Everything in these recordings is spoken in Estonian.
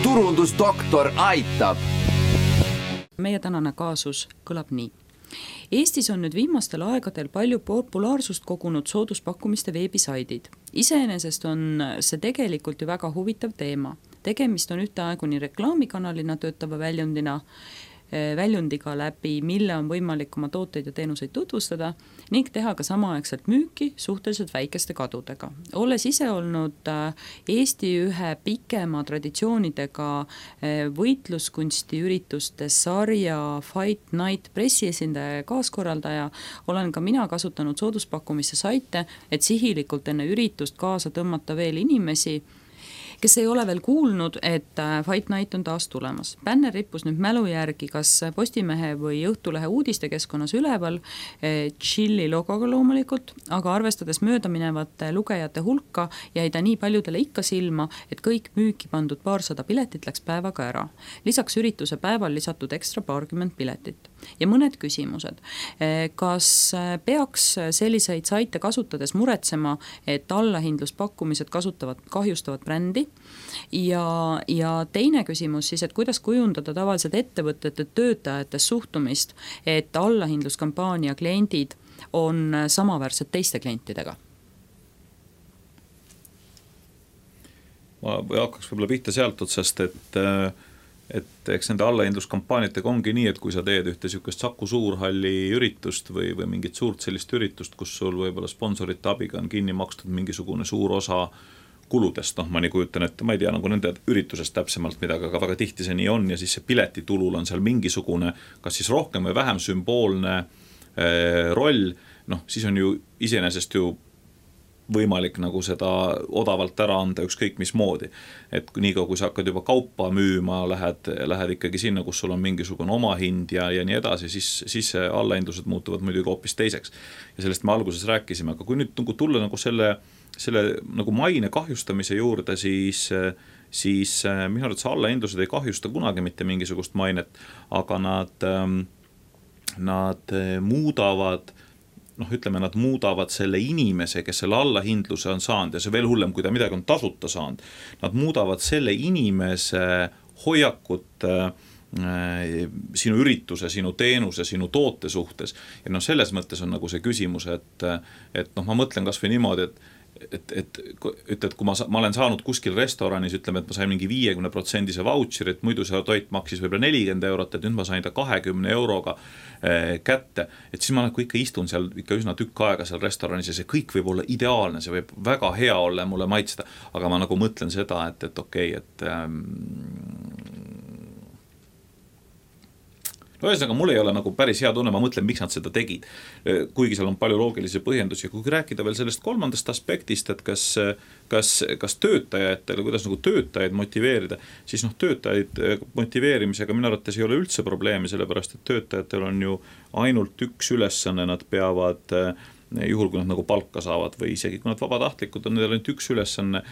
turundusdoktor aitab. Meie tänane kaasus kõlab nii. Eestis on nüüd viimastel aegadel palju populaarsust kogunud sooduspakkumiste veebisaidid. Iseenesest on see tegelikult ju väga huvitav teema. Tegemist on ühteaegu nii reklaamikanalina töötava väljundiga läbi, mille on võimalik oma tooteid ja teenuseid tutvustada ning teha ka samaaegselt müüki suhteliselt väikeste kadudega. Olles ise olnud Eesti ühe pikema traditsioonidega võitluskunsti ürituste sarja Fight Night pressiesindaja ja kaaskorraldaja, olen ka mina kasutanud sooduspakkumiste saite, et sihilikult enne üritust kaasa tõmmata veel inimesi, kes ei ole veel kuulnud, et Fight Night on taas tulemas. Bänner rippus nüüd mälu järgi kas Postimehe või Õhtulehe uudistekeskkonnas üleval, Chilli logoga loomulikult, aga arvestades möödaminevate lugejate hulka jäi ta nii paljudele ikka silma, et kõik müüki pandud 200 piletit läks päevaga ära. Lisaks ürituse päeval lisatud ekstra 20 piletit. Ja mõned küsimused. Kas peaks selliseid saite kasutades muretsema, et allahindluspakkumised kahjustavad brändi? Ja teine küsimus siis, et kuidas kujundada tavaliselt ettevõtete töötajate suhtumist, et allahindluskampaania kliendid on samaväärsed teiste klientidega? Ma hakkaks võib-olla pihta sealt otsast, et eks nende allahindluskampaaniatega ongi nii, et kui sa teed ühte sükest Saku Suurhalli üritust või mingit suurt sellist üritust, kus sul võib-olla sponsorite abiga on kinni makstud mingisugune suur osa kuludest, ma nii kujutan, et ma ei tea nagu nende üritusest täpsemalt midagi, aga väga tihti see nii on ja siis see piletitulul on seal mingisugune, kas siis rohkem või vähem sümboolne roll, siis on ju iseenesest ju võimalik nagu seda odavalt ära anda ükskõik mismoodi. Et niikaua, kui sa hakkad juba kaupa müüma, lähed ikkagi sinna, kus sul on mingisugune omahind ja nii edasi, siis allahindlused muutuvad muidugi hoopis teiseks. Ja sellest me alguses rääkisime, aga kui nüüd tulla nagu selle nagu maine kahjustamise juurde, siis minu arvates allahindlused ei kahjusta kunagi mitte mingisugust mainet, aga nad muudavad nad muudavad selle inimese, kes selle allahindluse on saanud ja see veel hullem, kui ta midagi on tasuta saanud. Nad muudavad selle inimese hoiakut sinu ürituse, sinu teenuse, sinu toote suhtes. Ja selles mõttes on nagu see küsimus, et ma mõtlen kas või niimoodi, et kui ma olen saanud kuskil restoranis, ütleme, et ma sain mingi 50% vautšeri, et muidu see toit maksis võib-olla 40 €, et nüüd ma sain ta 20 € kätte, et siis ma nagu ikka istun seal ikka üsna tükk aega seal restoranis ja see kõik võib olla ideaalne, see võib väga hea olla ja mulle maitsta, aga ma nagu mõtlen seda, et okei, ühesõnaga, mul ei ole nagu päris hea tunne, ma mõtlen, miks nad seda tegid, kuigi seal on palju loogilisi põhjendusi. Kui rääkida veel sellest kolmandast aspektist, et kas töötajatele, kuidas nagu töötajaid motiveerida, siis töötajaid motiveerimisega minu arvates ei ole üldse probleemi, sellepärast et töötajatel on ju ainult üks ülesanne, nad peavad juhul, kui nad nagu palka saavad või isegi kui nad vabatahtlikud on, neil on ainult üks ülesanne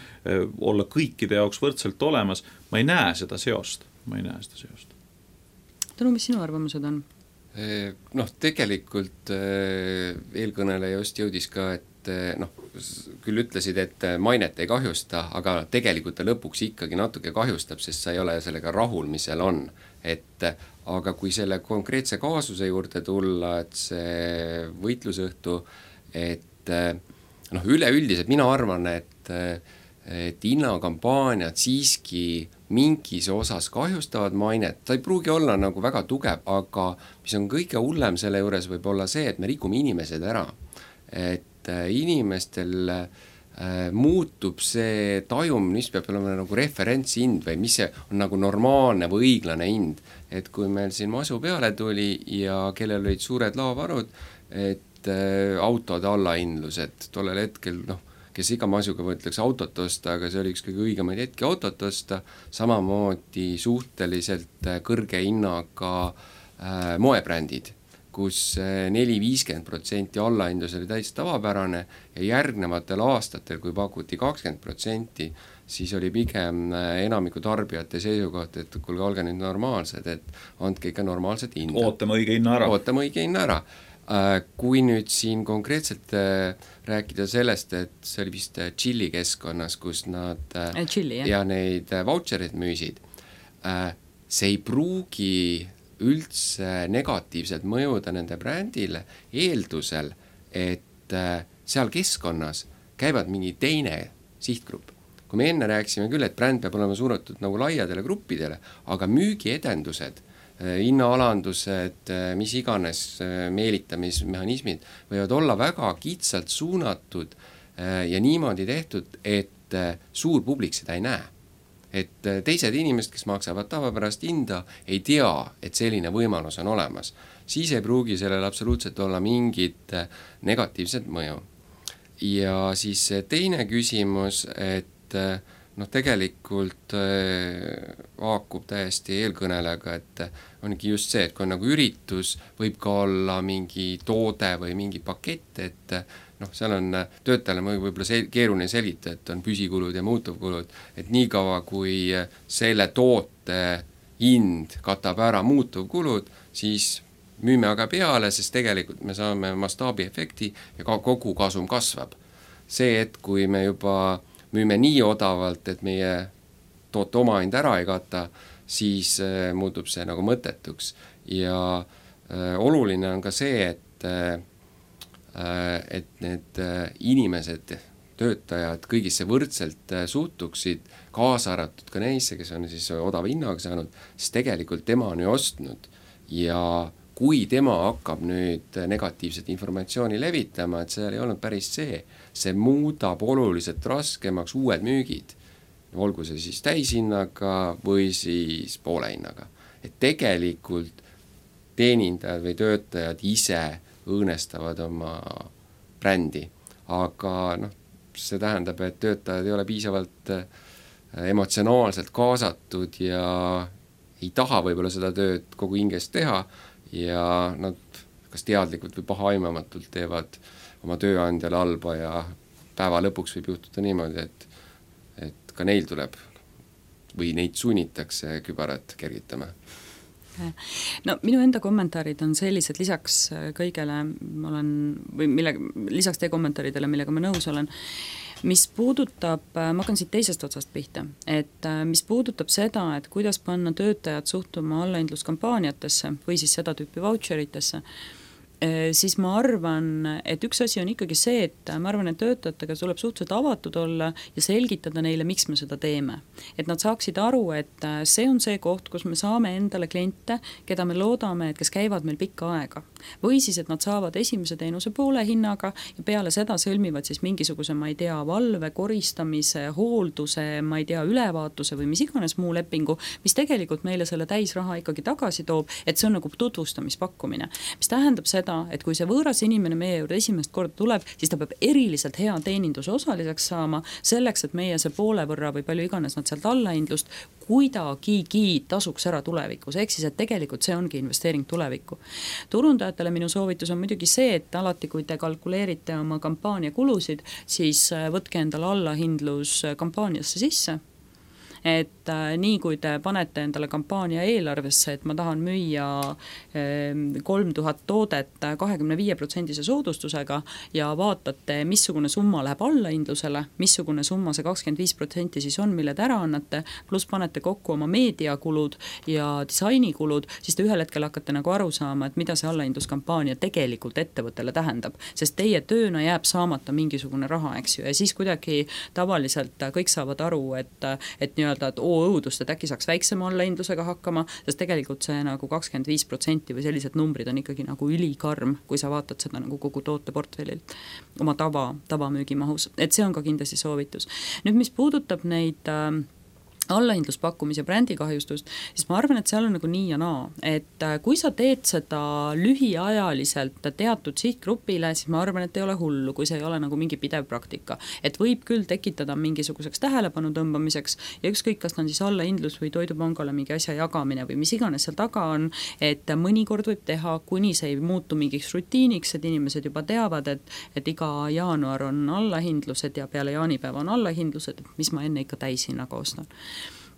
olla kõikide jaoks võrdselt olemas. Ma ei näe seda seost. Tõnu, mis sinu arvamused on? Tegelikult eelkõneleja just jõudis ka, et küll ütlesid, et mainet ei kahjusta, aga tegelikult ta lõpuks ikkagi natuke kahjustab, sest sa ei ole sellega rahul, mis seal on. Aga kui selle konkreetse kaasuse juurde tulla, et see võitlusõhtu, et üleüldiselt mina arvan, et hinnakampaaniad siiski mingis osas kahjustavad mainet, ta ei pruugi olla nagu väga tugev, aga mis on kõige hullem selle juures võib olla see, et me rikume inimesed ära, et inimestel muutub see tajum, mis peab olema nagu referentshind või mis see on nagu normaalne või õiglane hind, et kui meil siin masu peale tuli ja kellel olid suured laovarud, et autode allahindlused tollel hetkel, kes iga masuga võtleks autot osta, aga see oli üks kõige õigemaid hetki autot osta, samamoodi suhteliselt kõrge hinnaga moebrändid, kus 4-50% allahindlus oli täitsa tavapärane ja järgnevatel aastatel, kui pakuti 20%, siis oli pigem enamiku tarbijate seisukoht, et kuulge, olge nüüd normaalsed, et andke ikka normaalset hinda. Ootame õige hinna ära. Kui nüüd siin konkreetselt rääkida sellest, et see oli vist Chilli keskkonnas, kus nad Chilli, ja neid vautšerid müüsid, see ei pruugi üldse negatiivselt mõjuda nende brändile eeldusel, et seal keskkonnas käivad mingi teine sihtgrupp. Kui me enne rääkisime küll, et bränd peab olema suunatud nagu laiadele gruppidele, aga müügiedendused, hinnaalandused, mis iganes meelitamismehhanismid võivad olla väga kitsalt suunatud ja niimoodi tehtud, et suur publik seda ei näe. Et teised inimesed, kes maksavad tavapärast hinda, ei tea, et selline võimalus on olemas. Siis ei pruugi sellel absoluutselt olla mingit negatiivset mõju. Ja siis teine küsimus, et tegelikult vaakub täiesti eelkõnelega, et ongi just see, et kui on nagu üritus, võib ka olla mingi toode või mingi pakett, et seal on töötajale võib-olla keeruline selgitada, et on püsikulud ja muutuvkulud, et nii kaua kui selle toote hind katab ära muutuvkulud, siis müüme aga peale, sest tegelikult me saame mastaabiefekti ja ka kogu kasum kasvab. See, et kui me juba müüme nii odavalt, et meie toote omahind ära ei kata, siis muutub see nagu mõttetuks. Ja oluline on ka see, et need inimesed, töötajad kõigisse võrdselt suhtuksid, kaasa arvatud ka neisse, kes on siis odava hinnaga saanud, siis tegelikult tema on ju ostnud ja kui tema hakkab nüüd negatiivset informatsiooni levitama, et seal ei olnud päris see muudab oluliselt raskemaks uued müügid, olgu see siis täishinnaga või siis poole hinnaga. Et tegelikult teenindajad või töötajad ise õõnestavad oma brändi, aga see tähendab, et töötajad ei ole piisavalt emotsionaalselt kaasatud ja ei taha võib-olla seda tööd kogu hingest teha ja nad kas teadlikult või pahaimamatult teevad oma tööandjale halba ja päeva lõpuks võib juhtuda niimoodi, et ka neil tuleb või neid sunnitakse kübarat kergitama. No minu enda kommentaarid on sellised, lisaks kõigele lisaks teie kommentaaridele, millega ma nõus olen, mis puudutab, ma hakkan siit teisest otsast pihta, et mis puudutab seda, et kuidas panna töötajad suhtuma allahindluskampaaniatesse või siis seda tüüpi voucheritesse, siis ma arvan, et üks asi on ikkagi see, et ma arvan, et töötajatega tuleb suhteliselt avatud olla ja selgitada neile, miks me seda teeme. Et nad saaksid aru, et see on see koht, kus me saame endale kliente, keda me loodame, et kes käivad meil pikka aega. Või siis, et nad saavad esimese teenuse poole hinnaga ja peale seda sõlmivad siis mingisuguse, ma ei tea, valve, koristamise, hoolduse, ma ei tea, ülevaatuse või mis iganes muu lepingu, mis tegelikult meile selle täisraha ikkagi tagasi toob, et see on nagu tutvustamispakkumine. Mis tähendab seda, et kui see võõras inimene meie juurde esimest korda tuleb, siis ta peab eriliselt hea teeninduse osaliseks saama, selleks, et meie see poole võrra või palju iganes nad sealt allahindlust kuidagigi tasuks ära tulevikus, ehk siis, et tegelikult see ongi investeering tulevikku. Turundajatele minu soovitus on muidugi see, et alati, kui te kalkuleerite oma kampaania kulusid, siis võtke endale allahindlus kampaaniasse sisse. Et nii kui te panete endale kampaania eelarvesse, et ma tahan müüa 3000 toodet 25% soodustusega ja vaatate, missugune summa läheb allahindlusele, missugune summa see 25% siis on, mille te ära annate, pluss panete kokku oma meediakulud ja disainikulud, siis te ühel hetkel hakkate nagu aru saama, et mida see allahindluskampaania tegelikult ettevõttele tähendab, sest teie tööna jääb saamata mingisugune raha, eks ju, ja siis kuidagi tavaliselt kõik saavad aru, et nii et õudust, et äkki saaks väiksema allahindlusega hakkama, sest tegelikult see nagu 25% või sellised numbrid on ikkagi nagu ülikarm, kui sa vaatad seda nagu kogu tooteportfellilt oma tavamüügimahus, et see on ka kindlasti soovitus. Nüüd, mis puudutab neid allahindluspakkumise brändikahjustust, siis ma arvan, et seal on nagu nii ja naa, et kui sa teed seda lühiajaliselt teatud sihtgrupile, siis ma arvan, et ei ole hullu, kui see ei ole nagu mingi pidev praktika, et võib küll tekitada mingisuguseks tähelepanu tõmbamiseks ja ükskõik, kas on siis allahindlus või toidupangale mingi asja jagamine või mis iganes seal taga on, et mõnikord võib teha, kuni see ei muutu mingiks rutiiniks, et inimesed juba teavad, et iga jaanuar on allahindlused ja peale jaanipäeva on allahindlused, et mis ma enne ikka täishinnaga ostan.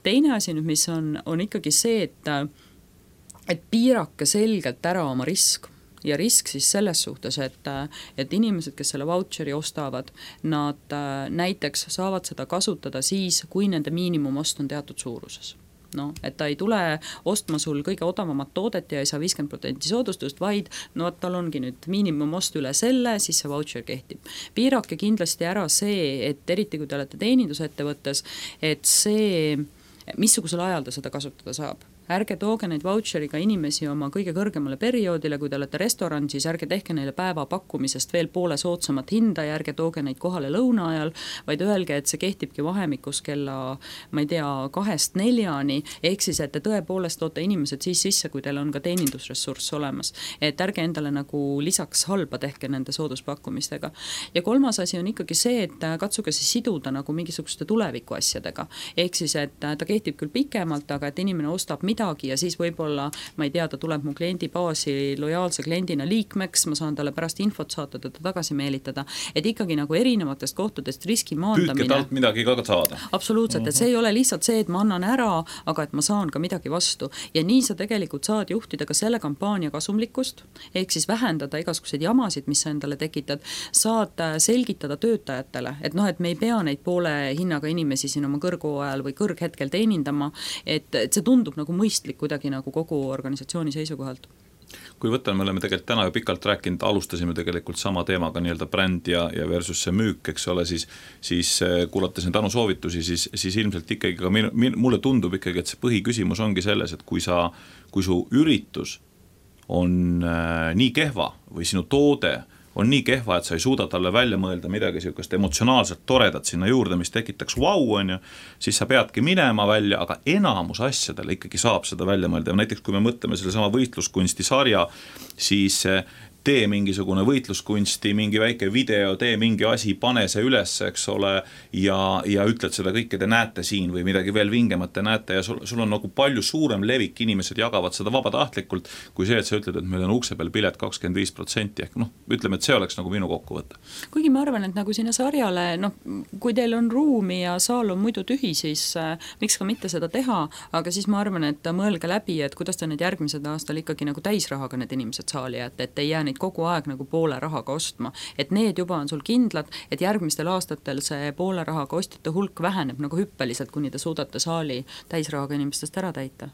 Teine asi nüüd, mis on ikkagi see, et piirake selgelt ära oma risk ja risk siis selles suhtes, et inimesed, kes selle voucheri ostavad, nad näiteks saavad seda kasutada siis, kui nende miinimumost on teatud suuruses. no, et ta ei tule ostma sul kõige odavamat toodet ja ei saa 50% soodustust, vaid no tal ongi nüüd miinimumost üle selle, siis see voucher kehtib. Piirake kindlasti ära see, et eriti kui te olete teenindusettevõttes, et see, missugusel ajal ta seda kasutada saab. Ärge tooge neid voucheriga inimesi oma kõige kõrgemale perioodile, kui te olete restoran, siis ärge tehke neile päeva pakkumisest veel poole soodsamat hinda ja ärge tooge neid kohale lõuna ajal, vaid öelge, et see kehtibki vahemikus kella, ma ei tea, 2-4, ehk siis, et te tõepoolest toote inimesed siis sisse, kui teil on ka teenindusressurss olemas. Et ärge endale nagu lisaks halba tehke nende sooduspakkumistega. Ja kolmas asi on ikkagi see, et katsuge siis siduda nagu mingisuguste tuleviku asjadega. Ehk siis, et ta kehtib küll pikemalt, aga et inimene ostab midagi ja siis võib-olla, ma ei tea, ta tuleb mu kliendi baasi lojaalse kliendina liikmeks, ma saan talle pärast infot saata, teda tagasi meelitada, et ikkagi nagu erinevatest kohtadest riski maandamine. Püüdke talt midagi ka saada. Absoluutselt, et see ei ole lihtsalt see, et ma annan ära, aga et ma saan ka midagi vastu. Ja nii sa tegelikult saad juhtida ka selle kampaania kasumlikkust, ehk siis vähendada igasuguseid jamasid, mis sa endale tekitad, saad selgitada töötajatele, et noh, et me ei pea neid poole hinnaga inimesi siin oma kõrgajal või kõrghetkel teenindama, et see tundub nagu mõistlik kuidagi nagu kogu organisatsiooni seisukohalt. Kui võtan, me oleme tegelikult täna ju pikalt rääkinud, alustasime tegelikult sama teemaga nii-öelda bränd ja versus see müük, eks ole, siis kuulates neid Anu soovitusi, siis ilmselt ikkagi ka mulle tundub ikkagi, et see põhiküsimus ongi selles, et kui su üritus on nii kehva või sinu toode on nii kehva, et sa ei suuda talle välja mõelda midagi sellist emotsionaalselt toredat sinna juurde, mis tekitaks on ju, siis sa peadki minema välja, aga enamus asjadele ikkagi saab seda välja mõelda. Näiteks kui me mõtleme selle sama võitluskunsti sarja, siis tee mingisugune võitluskunsti, mingi väike video, tee mingi asi, pane see üles, eks ole, ja ütled seda kõike, te näete siin või midagi veel vingemat te näete ja sul on nagu palju suurem levik, inimesed jagavad seda vabatahtlikult, kui see, et sa ütled, et meil on ukse peal pilet 25%, ehk noh, ütleme, et see oleks nagu minu kokkuvõte. Kuigi ma arvan, et nagu sinna sarjale, noh, kui teil on ruumi ja saal on muidu tühi, siis miks ka mitte seda teha, aga siis ma arvan, et mõelge läbi, et kuidas te need järgmised aastal ikkagi nagu täisrahaga need inimesed saali, et ei jää neid kogu aeg nagu poole rahaga ostma, et need juba on sul kindlad, et järgmistel aastatel see poole rahaga ostjate hulk väheneb nagu hüppeliselt, kuni te suudate saali täisrahaga inimestest ära täita.